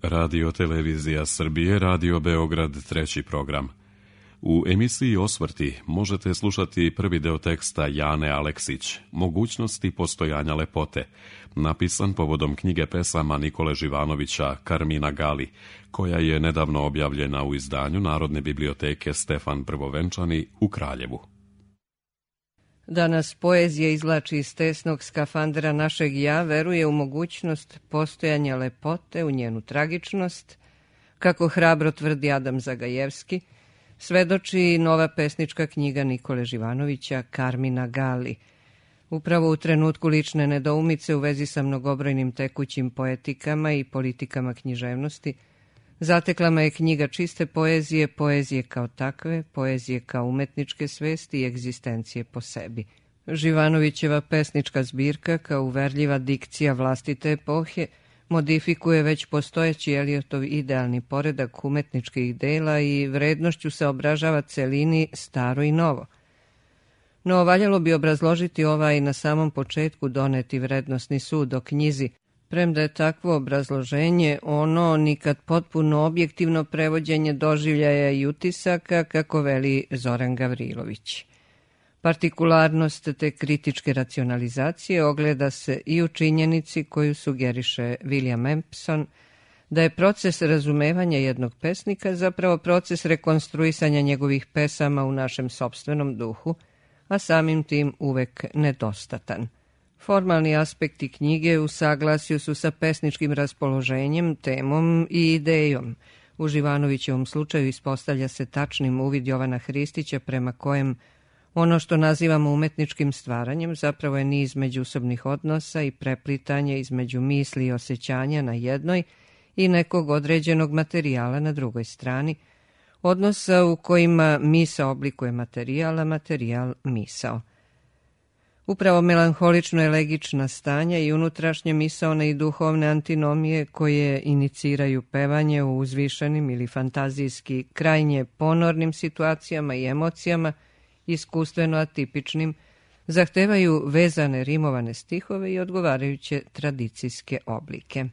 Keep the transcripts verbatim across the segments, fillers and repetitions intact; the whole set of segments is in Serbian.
Radio Televizija Srbije, Radio Beograd, treći program. U emisiji Osvrti možete slušati prvi deo teksta Jane Aleksić, Mogućnosti postojanja lepote, napisan povodom knjige pesama Nikole Živanovića Karmina Gali, koja je nedavno objavljena u izdanju Narodne biblioteke Stefan Prvovenčani u Kraljevu. Da nas poezija izvlači iz tesnog skafandera našeg ja, veruje u mogućnost postojanja lepote, u njenu tragičnost, kako hrabro tvrdi Adam Zagajevski, svedoči nova pesnička knjiga Nikole Živanovića Karmina Gali. Upravo u trenutku lične nedoumice u vezi sa mnogobrojnim tekućim poetikama i politikama književnosti, zatekla me je knjiga čiste poezije, poezije kao takve, poezije kao umetničke svesti i egzistencije po sebi. Živanovićeva pesnička zbirka, kao uverljiva dikcija vlastite epohe, modifikuje već postojeći Eliotov idealni poredak umetničkih dela i vrednošću se obražava celini staro i novo. No, valjalo bi obrazložiti ovaj na samom početku doneti vrednosni sud o knjizi, premda je takvo obrazloženje ono nikad potpuno objektivno prevođenje doživljaja i utisaka, kako veli Zoran Gavrilović. Partikularnost te kritičke racionalizacije ogleda se i u činjenici koju sugeriše William Empson, da je proces razumevanja jednog pesnika zapravo proces rekonstruisanja njegovih pesama u našem sopstvenom duhu, a samim tim uvek nedostatan. Formalni aspekti knjige u saglasju su sa pesničkim raspoloženjem, temom i idejom. U Živanovićevom slučaju ispostavlja se tačnim uvid Jovana Hristića prema kojem ono što nazivamo umetničkim stvaranjem zapravo je niz međusobnih odnosa i preplitanja između misli i osjećanja na jednoj i nekog određenog materijala na drugoj strani, odnosa u kojima misao oblikuje materijal, a materijal misao. Upravo melanholično-elegična stanja i unutrašnje misaone i duhovne antinomije koje iniciraju pevanje u uzvišenim ili fantazijski krajnje ponornim situacijama i emocijama, iskustveno atipičnim, zahtevaju vezane rimovane stihove i odgovarajuće tradicijske oblike.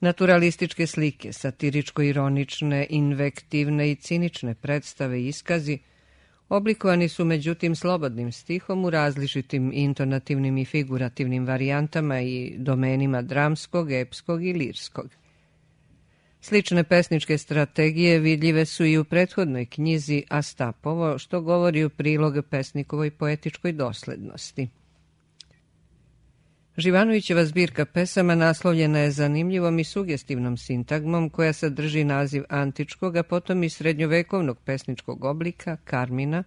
Naturalističke slike, satiričko-ironične, invektivne i cinične predstave i iskazi oblikovani su međutim slobodnim stihom u različitim intonativnim i figurativnim varijantama i domenima dramskog, epskog i lirskog. Slične pesničke strategije vidljive su i u prethodnoj knjizi Astapovo, što govori u prilog pesnikovoj poetičkoj doslednosti. Živanovićeva zbirka pesama naslovljena je zanimljivom i sugestivnom sintagmom koja sadrži naziv antičkog, a potom i srednjovekovnog pesničkog oblika Karmina,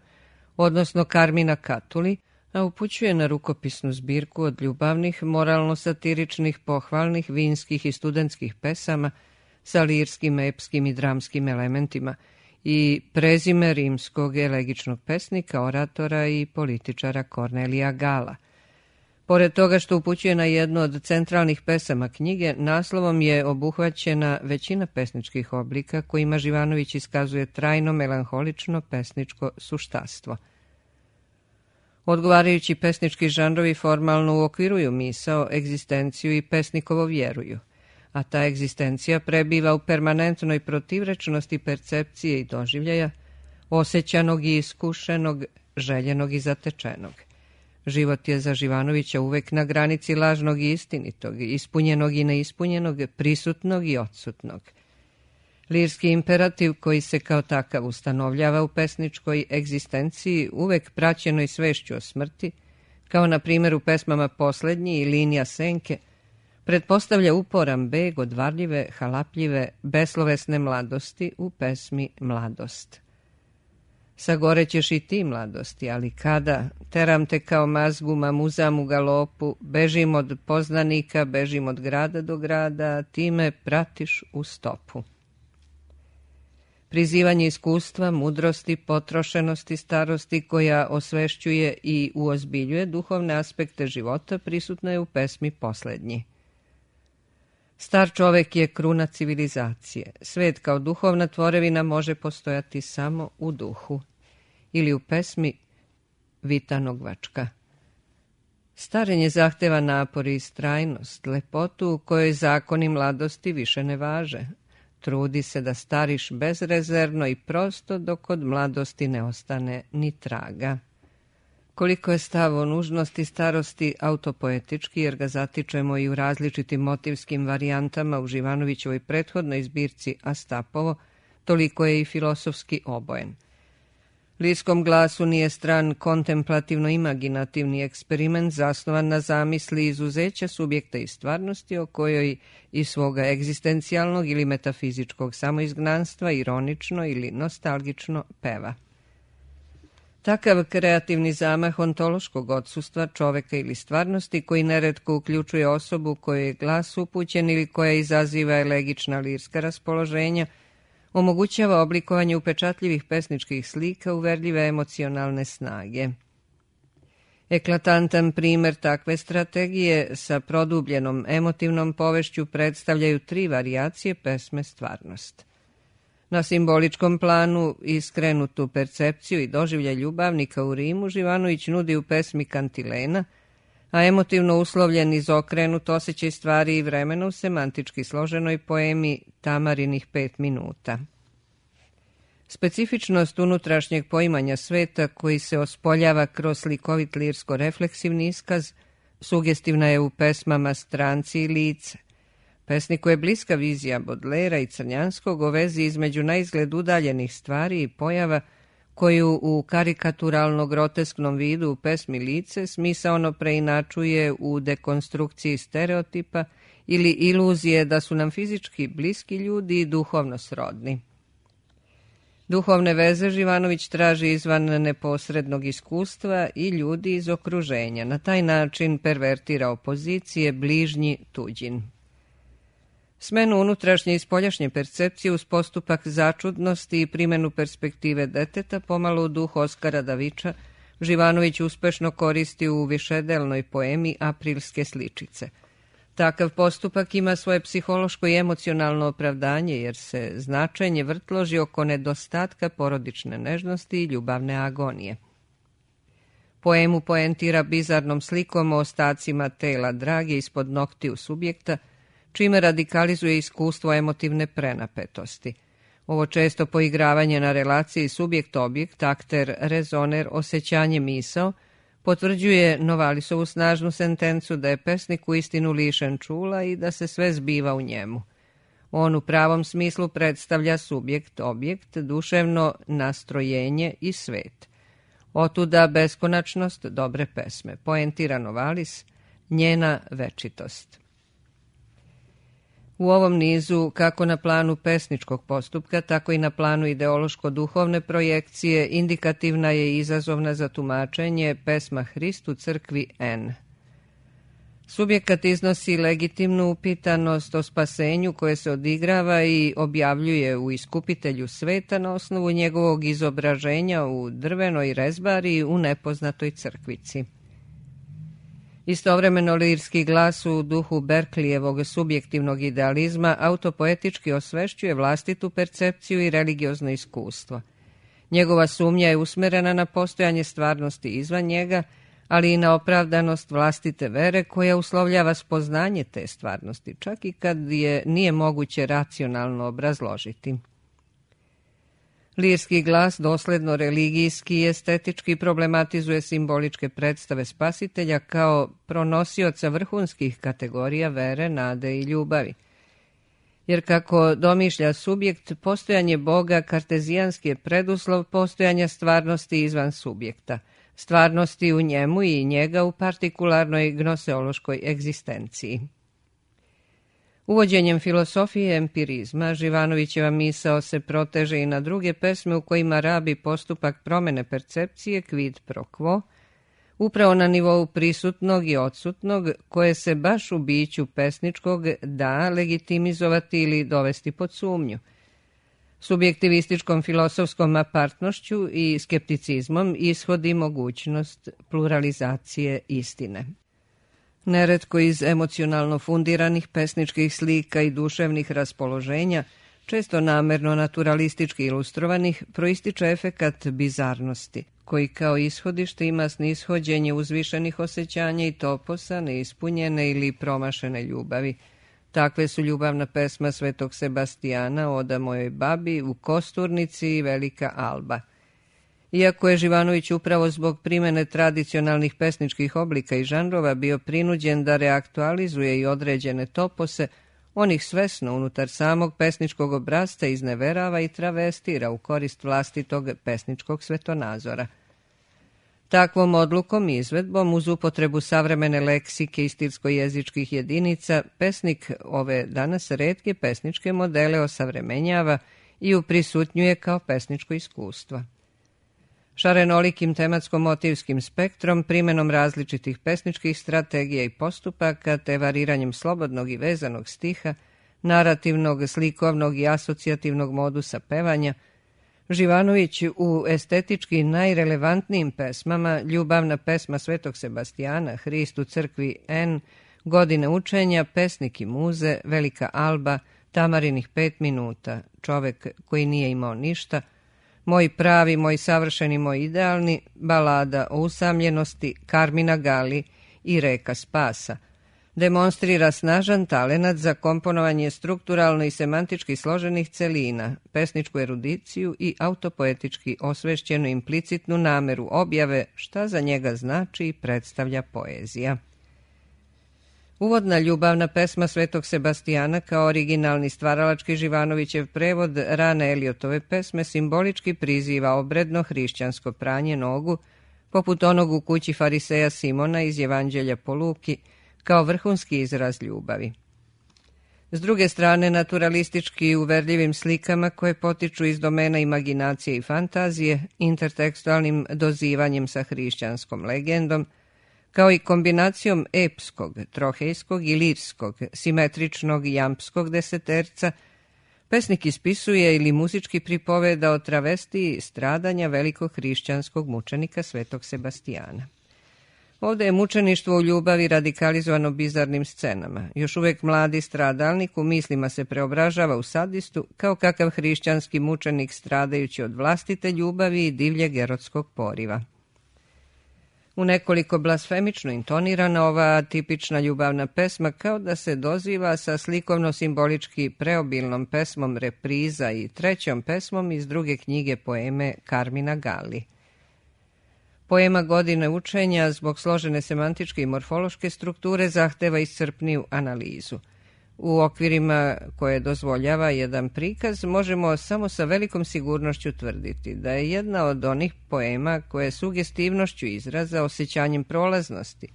odnosno Karmina Katuli, a upućuje na rukopisnu zbirku od ljubavnih, moralno-satiričnih, pohvalnih, vinskih i studentskih pesama sa lirskim, epskim i dramskim elementima i prezime rimskog elegičnog pesnika, oratora i političara Kornelija Gala. Pored toga što upućuje na jednu od centralnih pesama knjige, naslovom je obuhvaćena većina pesničkih oblika kojima Živanović iskazuje trajno melanholično pesničko suštastvo. Odgovarajući pesnički žanrovi formalno uokviruju misao, egzistenciju i pesnikovo vjeruju, a ta egzistencija prebiva u permanentnoj protivrečnosti percepcije i doživljaja, osjećanog i iskušenog, željenog i zatečenog. Život je za Živanovića uvek na granici lažnog i istinitog, ispunjenog i neispunjenog, prisutnog i odsutnog. Lirski imperativ koji se kao takav ustanovljava u pesničkoj egzistenciji uvek praćenoj svešću o smrti, kao na primjer u pesmama Poslednji i Linija senke, pretpostavlja uporan beg od varljive, halapljive, beslovesne mladosti u pesmi Mladost. Sagorećeš i ti mladosti, ali kada, teram te kao mazgu, mamuzam u galopu, bežim od poznanika, bežim od grada do grada, ti me pratiš u stopu. Prizivanje iskustva, mudrosti, potrošenosti, starosti koja osvešćuje i uozbiljuje duhovne aspekte života prisutno je u pesmi Poslednji. Star čovek je kruna civilizacije. Svet kao duhovna tvorevina može postojati samo u duhu. Ili u pesmi Vitanogvačka. Starenje zahteva napor i istrajnost, lepotu u kojoj zakoni mladosti više ne važe. Trudi se da stariš bezrezervno i prosto dok od mladosti ne ostane ni traga. Koliko je stav o nužnosti starosti autopoetički, jer ga zatičemo i u različitim motivskim varijantama u Živanovićevoj prethodnoj zbirci Astapovo, toliko je i filosofski obojen. Lirskom glasu nije stran kontemplativno-imaginativni eksperiment zasnovan na zamisli izuzeća subjekta i stvarnosti o kojoj iz svoga egzistencijalnog ili metafizičkog samoizgnanstva ironično ili nostalgično peva. Takav kreativni zamah ontološkog odsustva čoveka ili stvarnosti, koji neretko uključuje osobu kojoj je glas upućen ili koja izaziva elegična lirska raspoloženja, omogućava oblikovanje upečatljivih pesničkih slika uverljive emocionalne snage. Eklatantan primer takve strategije sa produbljenom emotivnom povešću predstavljaju tri varijacije pesme Stvarnost. Na simboličkom planu iskrenutu percepciju i doživljaj ljubavnika u Rimu Živanović nudi u pesmi Kantilena, a emotivno uslovljen izokrenut osjećaj stvari i vremena u semantički složenoj poemi Tamarinih pet minuta. Specifičnost unutrašnjeg poimanja sveta koji se ospoljava kroz slikovit lirsko-refleksivni iskaz sugestivna je u pesmama Stranci i Lice. Pesniku je bliska vizija Bodlera i Crnjanskog o vezi između naizgled udaljenih stvari i pojava koju u karikaturalno-grotesknom vidu u pesmi Lice smisaono preinačuje u dekonstrukciji stereotipa ili iluzije da su nam fizički bliski ljudi i duhovno srodni. Duhovne veze Živanović traži izvan neposrednog iskustva i ljudi iz okruženja. Na taj način pervertira opozicije bližnji tuđin. Smenu unutrašnje i spoljašnje percepcije uz postupak začudnosti i primjenu perspektive deteta pomalo u duhu Oskara Daviča Živanović uspešno koristi u višedelnoj poemi Aprilske sličice. Takav postupak ima svoje psihološko i emocionalno opravdanje jer se značenje vrtloži oko nedostatka porodične nežnosti i ljubavne agonije. Poemu poentira bizarnom slikom o ostacima tela drage ispod noktiju subjekta, čime radikalizuje iskustvo emotivne prenapetosti. Ovo često poigravanje na relaciji subjekt-objekt, akter, rezoner, osjećanje misao, potvrđuje Novalisovu snažnu sentencu da je pesnik uistinu lišen čula i da se sve zbiva u njemu. On u pravom smislu predstavlja subjekt-objekt, duševno nastrojenje i svet. Otuda beskonačnost dobre pesme, poentira Novalis, njena večitost. U ovom nizu, kako na planu pesničkog postupka, tako i na planu ideološko-duhovne projekcije, indikativna je i izazovna za tumačenje pesma Hristu crkvi N. Subjekat iznosi legitimnu upitanost o spasenju koje se odigrava i objavljuje u Iskupitelju sveta na osnovu njegovog izobraženja u drvenoj rezbari u nepoznatoj crkvici. Istovremeno lirski glas u duhu Berkleyevog subjektivnog idealizma autopoetički osvešćuje vlastitu percepciju i religiozno iskustvo. Njegova sumnja je usmerena na postojanje stvarnosti izvan njega, ali i na opravdanost vlastite vere koja uslovljava spoznanje te stvarnosti, čak i kad je nije moguće racionalno obrazložiti. Lirski glas dosledno religijski i estetički problematizuje simboličke predstave spasitelja kao pronosioca vrhunskih kategorija vere, nade i ljubavi. Jer kako domišlja subjekt, postojanje Boga kartezijanski je preduslov postojanja stvarnosti izvan subjekta, stvarnosti u njemu i njega u partikularnoj gnoseološkoj egzistenciji. Uvođenjem filosofije empirizma, Živanovićeva misao se proteže i na druge pesme u kojima rabi postupak promene percepcije quid pro quo, upravo na nivou prisutnog i odsutnog, koje se baš u biću pesničkog da legitimizovati ili dovesti pod sumnju. Subjektivističkom filosofskom apartnošću i skepticizmom ishodi mogućnost pluralizacije istine. Neretko iz emocionalno fundiranih pesničkih slika i duševnih raspoloženja, često namerno naturalistički ilustrovanih, proističe efekat bizarnosti, koji kao ishodište ima snishođenje uzvišenih osjećanja i toposa, neispunjene ili promašene ljubavi. Takve su ljubavna pesma Svetog Sebastijana, Oda mojoj babi, U kosturnici i Velika alba. Iako je Živanović upravo zbog primene tradicionalnih pesničkih oblika i žanrova bio prinuđen da reaktualizuje i određene topose, on ih svesno unutar samog pesničkog obrasca izneverava i travestira u korist vlastitog pesničkog svetonazora. Takvom odlukom i izvedbom, uz upotrebu savremene leksike i stilsko-jezičkih jedinica, pesnik ove danas retke pesničke modele osavremenjava i uprisutnjuje kao pesničko iskustvo. Šarenolikim tematsko-motivskim spektrom, primenom različitih pesničkih strategija i postupaka, te variranjem slobodnog i vezanog stiha, narativnog, slikovnog i asocijativnog modusa pevanja, Živanović u estetički najrelevantnijim pesmama, ljubavna pesma Svetog Sebastijana, Hrist u crkvi N, Godine učenja, Pesnik i muze, Velika alba, Tamarinih pet minuta, Čovek koji nije imao ništa, Moj pravi, moj savršeni, moj idealni, Balada o usamljenosti, Karmina Gali i Reka spasa, demonstrira snažan talenat za komponovanje strukturalno i semantički složenih celina, pesničku erudiciju i autopoetički osvešćenu implicitnu nameru objave šta za njega znači i predstavlja poezija. Uvodna ljubavna pesma Svetog Sebastijana kao originalni stvaralački Živanovićev prevod rane Eliotove pesme simbolički priziva obredno hrišćansko pranje nogu, poput onog u kući fariseja Simona iz Evanđelja po Luki, kao vrhunski izraz ljubavi. S druge strane, naturalistički uverljivim slikama koje potiču iz domena imaginacije i fantazije, intertekstualnim dozivanjem sa hrišćanskom legendom, kao i kombinacijom epskog, trohejskog i lirskog, simetričnog i jampskog deseterca, pesnik ispisuje ili muzički pripoveda o travestiji stradanja velikog hrišćanskog mučenika Svetog Sebastijana. Ovdje je mučeništvo u ljubavi radikalizovano bizarnim scenama. Još uvijek mladi stradalnik u mislima se preobražava u sadistu kao kakav hrišćanski mučenik stradajući od vlastite ljubavi i divljeg erotskog poriva. U nekoliko blasfemično intonirana ova tipična ljubavna pesma kao da se doziva sa slikovno-simbolički preobilnom pesmom Repriza i trećom pesmom iz druge knjige poeme Karmina Gali. Poema Godine učenja zbog složene semantičke i morfološke strukture zahteva iscrpniju analizu. U okvirima koje dozvoljava jedan prikaz možemo samo sa velikom sigurnošću tvrditi da je jedna od onih poema koje sugestivnošću izraza, osjećanjem prolaznosti,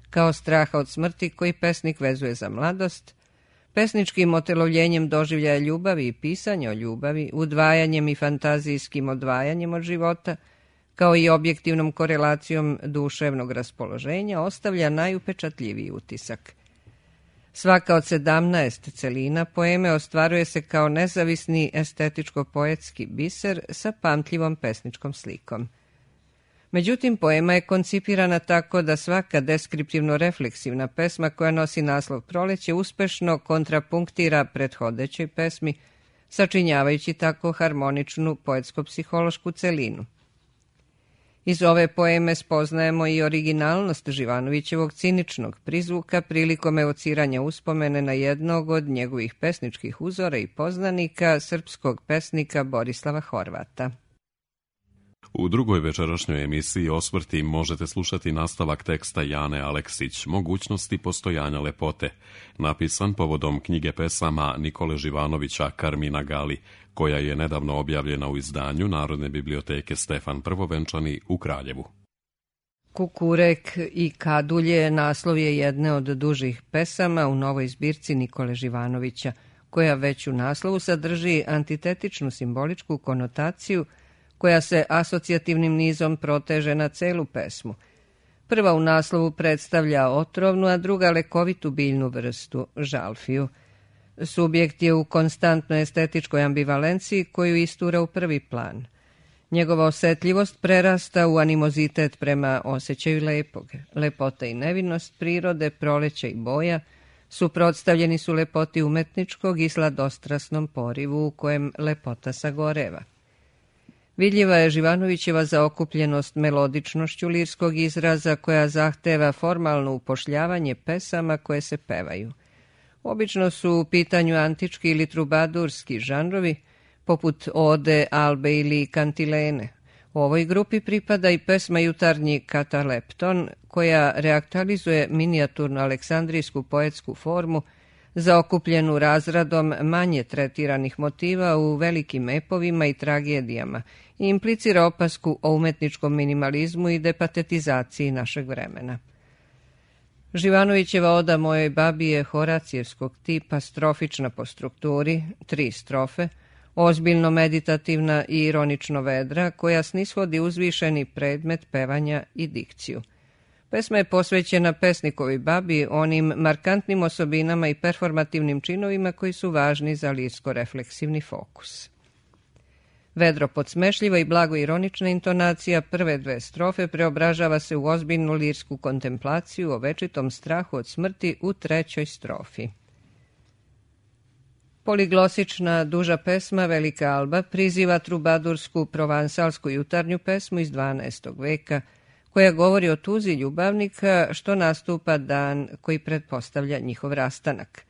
kao straha od smrti koji pesnik vezuje za mladost, pesničkim otelovljenjem doživljaja ljubavi i pisanja o ljubavi, udvajanjem i fantazijskim odvajanjem od života, kao i objektivnom korelacijom duševnog raspoloženja, ostavlja najupečatljiviji utisak. Svaka od sedamnaest celina poeme ostvaruje se kao nezavisni estetičko-poetski biser sa pamtljivom pesničkom slikom. Međutim, poema je koncipirana tako da svaka deskriptivno-refleksivna pesma koja nosi naslov Proleće uspešno kontrapunktira prethodećoj pesmi, sačinjavajući tako harmoničnu poetsko-psihološku celinu. Iz ove poeme spoznajemo i originalnost Živanovićevog ciničnog prizvuka prilikom evociranja uspomene na jednog od njegovih pesničkih uzora i poznanika, srpskog pesnika Borislava Horvata. U drugoj večerašnjoj emisiji Osvrti možete slušati nastavak teksta Jane Aleksić, Mogućnosti postojanja lepote, napisan povodom knjige pesama Nikole Živanovića Karmina Gali, koja je nedavno objavljena u izdanju Narodne biblioteke Stefan Prvovenčani u Kraljevu. Kukurek i Kadulje naslov je jedne od dužih pesama u novoj zbirci Nikole Živanovića, koja već u naslovu sadrži antitetičnu simboličku konotaciju koja se asocijativnim nizom proteže na celu pesmu. Prva u naslovu predstavlja otrovnu, a druga lekovitu biljnu vrstu, žalfiju. Subjekt je u konstantnoj estetičkoj ambivalenciji koju istura u prvi plan. Njegova osetljivost prerasta u animozitet prema osjećaju lepog. Lepota i nevinost prirode, proleća i boja suprotstavljeni su lepoti umetničkog i sladostrasnom porivu u kojem lepota sagoreva. Vidljiva je Živanovićeva zaokupljenost melodičnošću lirskog izraza koja zahteva formalno upošljavanje pesama koje se pevaju. Obično su u pitanju antički ili trubadurski žanrovi, poput ode, albe ili kantilene. U ovoj grupi pripada i pesma Jutarnji katalepton, koja reaktualizuje minijaturnu aleksandrijsku poetsku formu, zaokupljenu razradom manje tretiranih motiva u velikim epovima i tragedijama i implicira opasku o umetničkom minimalizmu i depatetizaciji našeg vremena. Živanovićeva oda mojoj babi je horacijevskog tipa, strofična po strukturi, tri strofe, ozbiljno meditativna i ironično vedra, koja snishodi uzvišeni predmet pevanja i dikciju. Pesma je posvećena pesnikovi babi, onim markantnim osobinama i performativnim činovima koji su važni za lirsko-refleksivni fokus. Vedro podsmešljiva i blago ironična intonacija prve dve strofe preobražava se u ozbiljnu lirsku kontemplaciju o večitom strahu od smrti u trećoj strofi. Poliglosična duža pesma Velika alba priziva trubadursku provansalsku jutarnju pesmu iz dvanaestog veka, koja govori o tuzi ljubavnika što nastupa dan koji pretpostavlja njihov rastanak.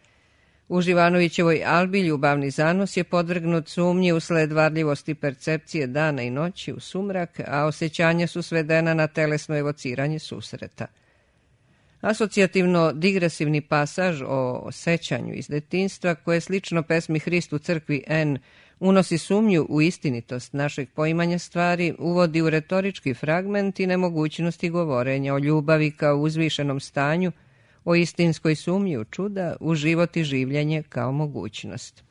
U Živanovićevoj albi ljubavni zanos je podvrgnut sumnji usled varljivosti percepcije dana i noći u sumrak, a osjećanja su svedena na telesno evociranje susreta. Asocijativno-digresivni pasaž o sećanju iz detinjstva, koje slično pesmi Hrist u crkvi N unosi sumnju u istinitost našeg poimanja stvari, uvodi u retorički fragment i nemogućnosti govorenja o ljubavi kao uzvišenom stanju, o istinskoj sumnji u čuda, u život i življenje kao mogućnost.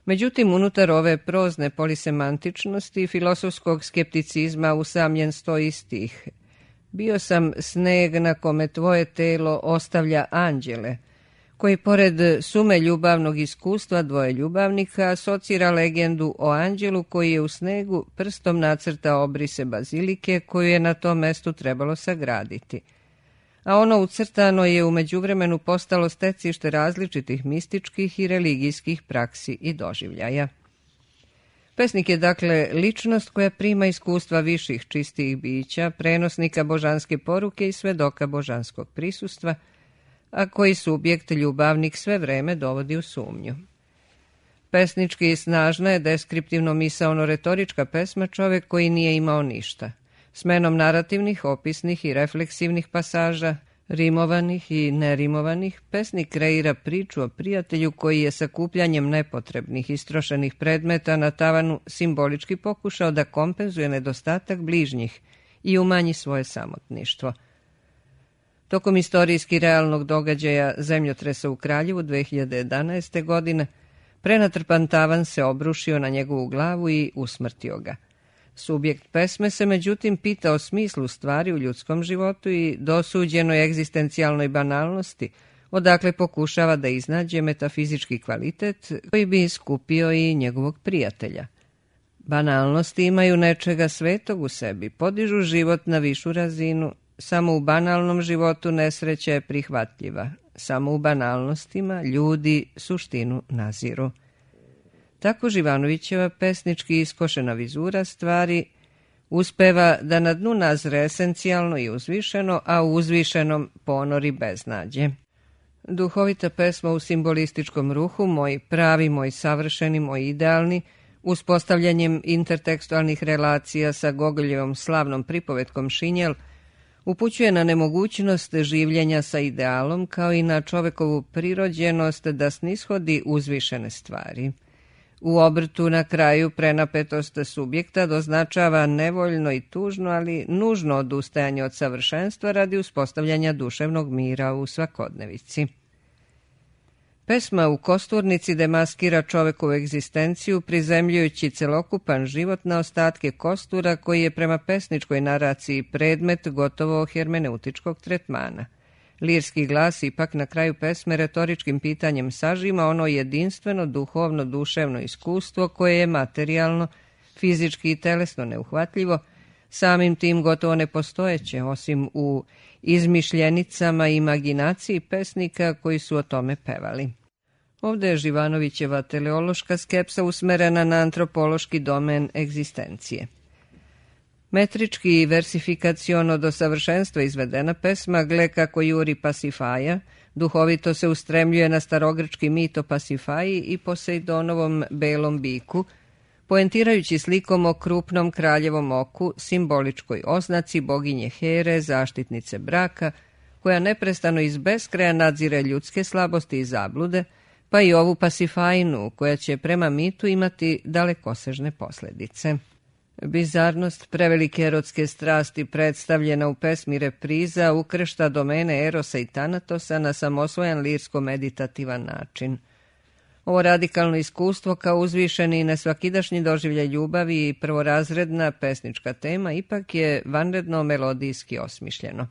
Međutim, unutar ove prozne polisemantičnosti i filosofskog skepticizma usamljen stoji stih: bio sam sneg na kome tvoje telo ostavlja anđele, koji pored sume ljubavnog iskustva dvoje ljubavnika asocira legendu o anđelu koji je u snegu prstom nacrtao obrise bazilike koju je na tom mestu trebalo sagraditi. A ono ucrtano je u međuvremenu postalo stecište različitih mističkih i religijskih praksi i doživljaja. Pesnik je dakle ličnost koja prima iskustva viših čistih bića, prenosnika božanske poruke i svedoka božanskog prisustva, a koji subjekt ljubavnik sve vreme dovodi u sumnju. Pesnički snažna je deskriptivno misaono-retorička pesma čovek koji nije imao ništa. Smenom narativnih, opisnih i refleksivnih pasaža, rimovanih i nerimovanih, pesnik kreira priču o prijatelju koji je sakupljanjem nepotrebnih istrošenih predmeta na tavanu simbolički pokušao da kompenzuje nedostatak bližnjih i umanji svoje samotništvo. Tokom istorijski realnog događaja zemljotresa u Kraljevu dve hiljade jedanaeste. godine prenatrpan tavan se obrušio na njegovu glavu i usmrtio ga. Subjekt pesme se međutim pita o smislu stvari u ljudskom životu i dosuđenoj egzistencijalnoj banalnosti, odakle pokušava da iznađe metafizički kvalitet koji bi iskupio i njegovog prijatelja. Banalnosti imaju nečega svetog u sebi, podižu život na višu razinu. Samo u banalnom životu nesreća je prihvatljiva. Samo u banalnostima ljudi suštinu naziru. Tako Živanovićeva pesnički iskošena vizura stvari uspeva da na dnu nazre esencijalno i uzvišeno, a u uzvišenom ponori beznađe. Duhovita pesma u simbolističkom ruhu, moj pravi, moj savršeni, moj idealni, uspostavljanjem intertekstualnih relacija sa Gogoljevom slavnom pripovetkom Šinjel, upućuje na nemogućnost življenja sa idealom kao i na čovekovu prirođenost da snishodi uzvišene stvari. U obrtu na kraju prenapetost subjekta doznačava nevoljno i tužno, ali nužno odustajanje od savršenstva radi uspostavljanja duševnog mira u svakodnevici. Pesma u Kosturnici demaskira čovekovu egzistenciju prizemljujući celokupan život na ostatke kostura koji je prema pesničkoj naraciji predmet gotovo hermeneutičkog tretmana. Lirski glas ipak na kraju pesme retoričkim pitanjem sažima ono jedinstveno duhovno duševno iskustvo koje je materijalno, fizički i telesno neuhvatljivo, samim tim gotovo nepostojeće, osim u izmišljenicama i imaginaciji pesnika koji su o tome pevali. Ovdje je Živanovićeva teleološka skepsa usmerena na antropološki domen egzistencije. Metrički i versifikaciono do savršenstva izvedena pesma Gle kako juri Pasifaja duhovito se ustremljuje na starogrčki mit o Pasifaji i Posejdonovom belom biku, poentirajući slikom o krupnom kraljevom oku, simboličkoj oznaci boginje Here, zaštitnice braka, koja neprestano iz beskraja nadzire ljudske slabosti i zablude, pa i ovu Pasifajnu, koja će prema mitu imati dalekosežne posljedice. Bizarnost prevelike erotske strasti predstavljena u pesmi Repriza ukršta domene Erosa i Tanatosa na samosvojan lirsko-meditativan način. Ovo radikalno iskustvo kao uzvišeni i nesvakidašnji doživljaj ljubavi i prvorazredna pesnička tema ipak je vanredno melodijski osmišljeno.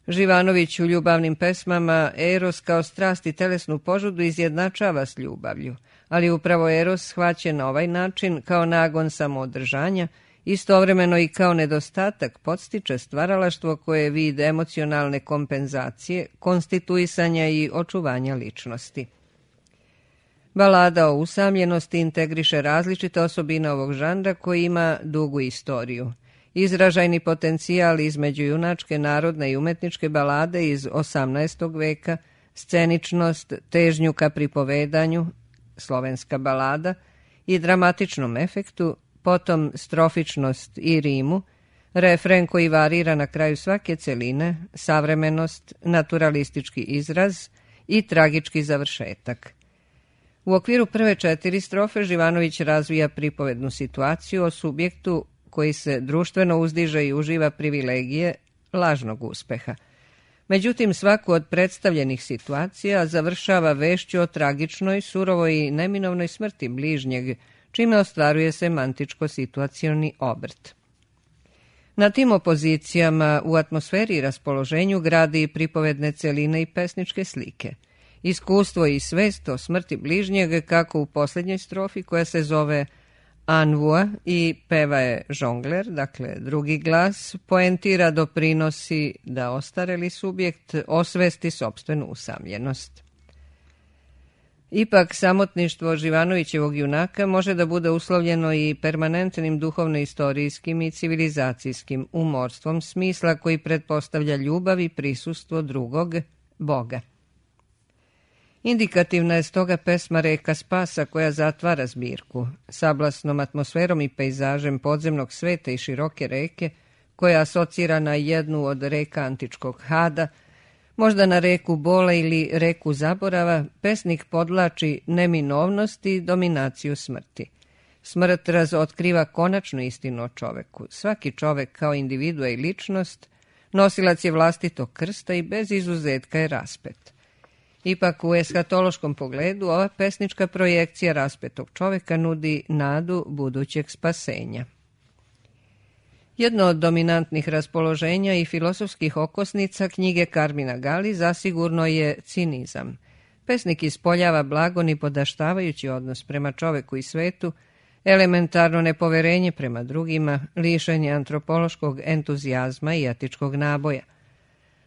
Živanović u ljubavnim pesmama Eros kao strast i telesnu požudu izjednačava s ljubavlju, ali upravo Eros shvaćen na ovaj način kao nagon samoodržanja, istovremeno i kao nedostatak podstiče stvaralaštvo koje je vid emocionalne kompenzacije, konstituisanja i očuvanja ličnosti. Balada o usamljenosti integriše različite osobine ovog žanra koji ima dugu istoriju. Izražajni potencijal između junačke, narodne i umetničke balade iz osamnaestog veka, sceničnost, težnju ka pripovedanju, slovenska balada, i dramatičnom efektu, potom strofičnost i rimu, refren koji varira na kraju svake celine, savremenost, naturalistički izraz i tragički završetak. U okviru prve četiri strofe Živanović razvija pripovednu situaciju o subjektu koji se društveno uzdiže i uživa privilegije lažnog uspeha. Međutim, svaku od predstavljenih situacija završava vešću o tragičnoj, surovoj i neminovnoj smrti bližnjeg, čime ostvaruje semantičko-situacioni obrt. Na tim opozicijama u atmosferi i raspoloženju gradi pripovedne celine i pesničke slike. Iskustvo i svest o smrti bližnjeg, kako u posljednjoj strofi koja se zove Anvua i peva je žongler, dakle drugi glas, poentira doprinosi da ostareli subjekt osvesti sopstvenu usamljenost. Ipak, samotništvo Živanovićevog junaka može da bude uslovljeno i permanentnim duhovno-istorijskim i civilizacijskim umorstvom smisla koji pretpostavlja ljubav i prisustvo drugog, Boga. Indikativna je stoga pesma Reka spasa koja zatvara zbirku, sablasnom atmosferom i pejzažem podzemnog sveta i široke reke, koja asocira na jednu od reka antičkog Hada, možda na reku Bola ili reku Zaborava, pesnik podlači neminovnost i dominaciju smrti. Smrt razotkriva konačnu istinu o čoveku. Svaki čovek kao individua i ličnost, nosilac je vlastitog krsta i bez izuzetka je raspet. Ipak u eshatološkom pogledu ova pesnička projekcija raspetog čoveka nudi nadu budućeg spasenja. Jedno od dominantnih raspoloženja i filosofskih okosnica knjige Karmina Gali zasigurno je cinizam. Pesnik ispoljava blago nipodaštavajući odnos prema čoveku i svetu, elementarno nepoverenje prema drugima, lišenje antropološkog entuzijazma i etičkog naboja.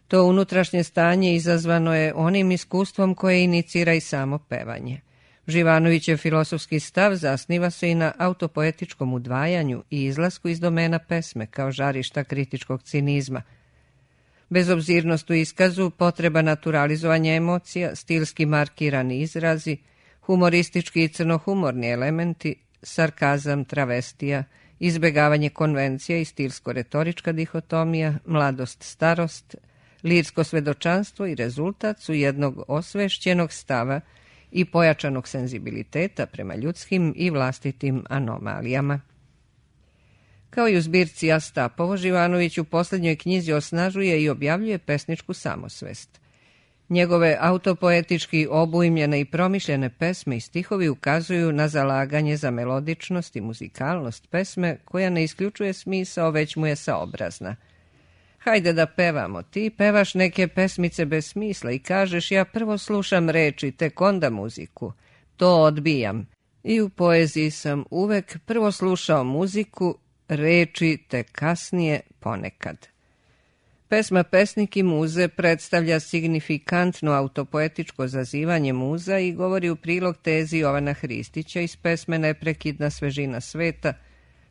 To unutrašnje stanje izazvano je onim iskustvom koje inicira i samo pevanje. Živanovićev filosofski stav zasniva se i na autopoetičkom udvajanju i izlasku iz domena pesme kao žarišta kritičkog cinizma. Bezobzirnost u iskazu, potreba naturalizovanja emocija, stilski markirani izrazi, humoristički i crnohumorni elementi, sarkazam, travestija, izbegavanje konvencija i stilsko-retorička dihotomija, mladost, starost, lirsko svedočanstvo i rezultat su jednog osvešćenog stava i pojačanog senzibiliteta prema ljudskim i vlastitim anomalijama. Kao i u zbirci Astapovo, Živanović u posljednjoj knjizi osnažuje i objavljuje pesničku samosvest. Njegove autopoetički obujmljene i promišljene pesme i stihovi ukazuju na zalaganje za melodičnost i muzikalnost pesme koja ne isključuje smisao, već mu je saobrazna. Hajde da pevamo, ti pevaš neke pesmice bez smisla i kažeš ja prvo slušam reči, tek onda muziku. To odbijam. I u poeziji sam uvek prvo slušao muziku, reči tek kasnije ponekad. Pesma Pesnik i muze predstavlja signifikantno autopoetičko zazivanje muza i govori u prilog tezi Jovana Hristića iz pesme Neprekidna svežina sveta,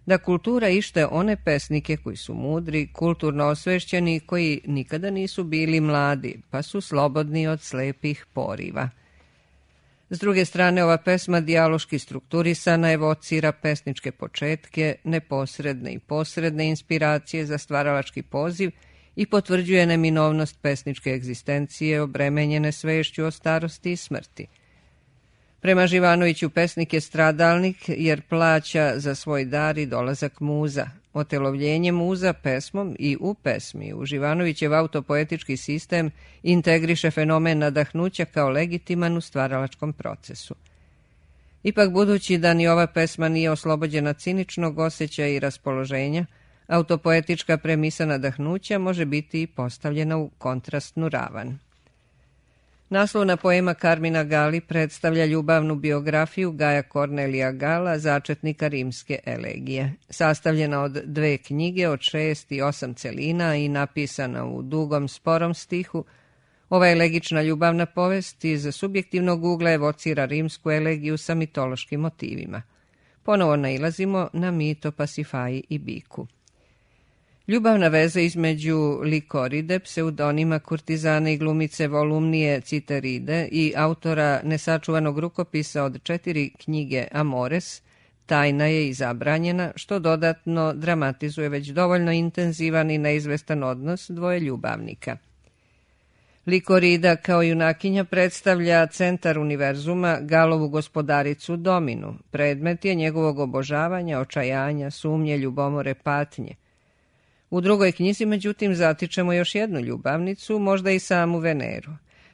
da kultura ište one pesnike koji su mudri, kulturno osvešćeni, koji nikada nisu bili mladi, pa su slobodni od slepih poriva. S druge strane, ova pesma dijaloški strukturisana evocira pesničke početke, neposredne i posredne inspiracije za stvaralački poziv i potvrđuje neminovnost pesničke egzistencije obremenjene svešću o starosti i smrti. Prema Živanoviću pesnik je stradalnik jer plaća za svoj dar i dolazak muza. Otelovljenje muza pesmom i u pesmi u Živanovićev autopoetički sistem integriše fenomen nadahnuća kao legitiman u stvaralačkom procesu. Ipak, budući da ni ova pesma nije oslobođena ciničnog osjećaja i raspoloženja, autopoetička premisa nadahnuća može biti i postavljena u kontrastnu ravan. Naslovna poema Carmina Gali predstavlja ljubavnu biografiju Gaja Kornelija Gala, začetnika rimske elegije. Sastavljena od dve knjige od šest i osam celina i napisana u dugom, sporom stihu, ova elegična ljubavna povest iz subjektivnog ugla evocira rimsku elegiju sa mitološkim motivima. Ponovo nailazimo na mit o Pasifaji i biku. Ljubavna veza između Likoride, pseudonima kurtizane i glumice Volumnije Citeride i autora nesačuvanog rukopisa od četiri knjige Amores, tajna je i zabranjena, što dodatno dramatizuje već dovoljno intenzivan i neizvestan odnos dvoje ljubavnika. Likorida kao junakinja predstavlja centar univerzuma, Galovu gospodaricu Dominu, predmet je njegovog obožavanja, očajanja, sumnje, ljubomore, patnje. U drugoj knjizi, međutim, zatičemo još jednu ljubavnicu, možda i samu Veneru.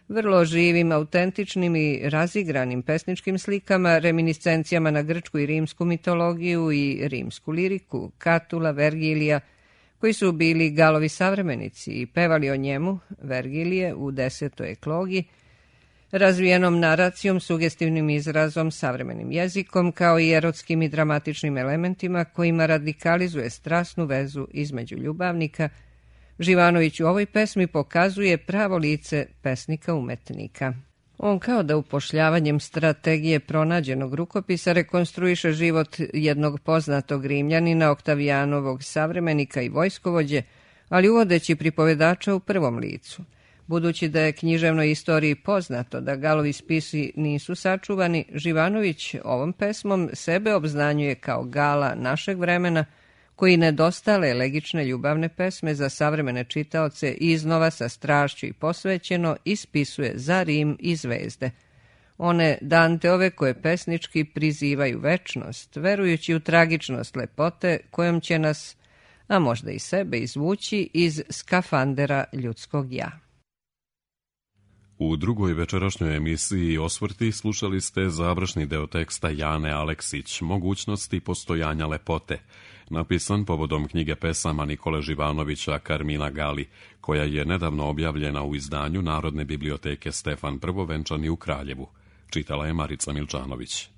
Vrlo živim, autentičnim i razigranim pesničkim slikama, reminiscencijama na grčku i rimsku mitologiju i rimsku liriku, Katula, Vergilija, koji su bili Galovi savremenici i pevali o njemu, Vergilije, u desetoj eklogi, razvijenom naracijom, sugestivnim izrazom, savremenim jezikom, kao i erotskim i dramatičnim elementima kojima radikalizuje strasnu vezu između ljubavnika, Živanović u ovoj pesmi pokazuje pravo lice pesnika umetnika. On kao da upošljavanjem strategije pronađenog rukopisa rekonstruiše život jednog poznatog Rimljanina, Oktavijanovog savremenika i vojskovođe, ali uvodeći pripovedača u prvom licu. Budući da je književnoj istoriji poznato da Galovi spisi nisu sačuvani, Živanović ovom pesmom sebe obznanjuje kao Gala našeg vremena, koji nedostale elegične ljubavne pesme za savremene čitaoce iznova sa strašću i posvećeno ispisuje za Rim i zvezde. One Danteove koje pesnički prizivaju večnost, verujući u tragičnost lepote kojom će nas, a možda i sebe, izvući iz skafandera ljudskog ja. U drugoj večerašnjoj emisiji Osvrti slušali ste završni deo teksta Jane Aleksić, Mogućnosti postojanja lepote, napisan povodom knjige pesama Nikole Živanovića Carmina Gali, koja je nedavno objavljena u izdanju Narodne biblioteke Stefan Prvovenčani u Kraljevu. Čitala je Marica Milčanović.